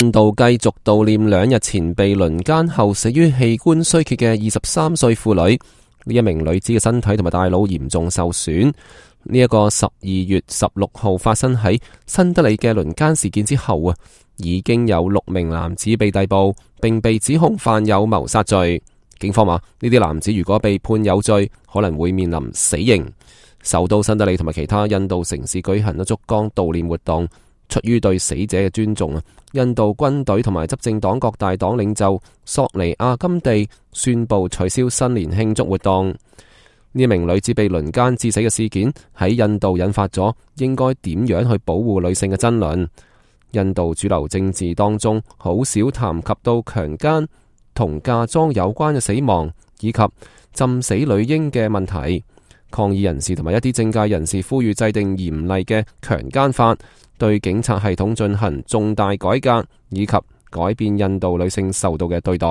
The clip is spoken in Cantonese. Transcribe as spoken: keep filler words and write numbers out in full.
印度繼續悼念兩日前被輪姦後死於器官衰竭嘅二十三歲婦女。呢一名女子嘅身體同埋大腦嚴重受損。呢、這、一個十二月十六號發生喺新德里嘅輪姦事件之後啊，已經有六名男子被逮捕，並被指控犯有謀殺罪。警方話呢啲男子如果被判有罪，可能會面臨死刑。首都新德里同埋其他印度城市舉行咗燭光悼念活動。出於對死者嘅尊重啊，印度軍隊同埋執政黨各大黨領袖索尼亞金地宣布取消新年慶祝活動。呢名女子被輪姦致死嘅事件喺印度引發咗應該點樣去保護女性嘅爭論。印度主流政治當中好少談及到強姦同嫁妝有關嘅死亡以及浸死女嬰嘅問題。抗議人士同埋一啲政界人士呼籲制定嚴厲嘅強姦法，對警察系統進行重大改革，以及改變印度女性受到嘅對待。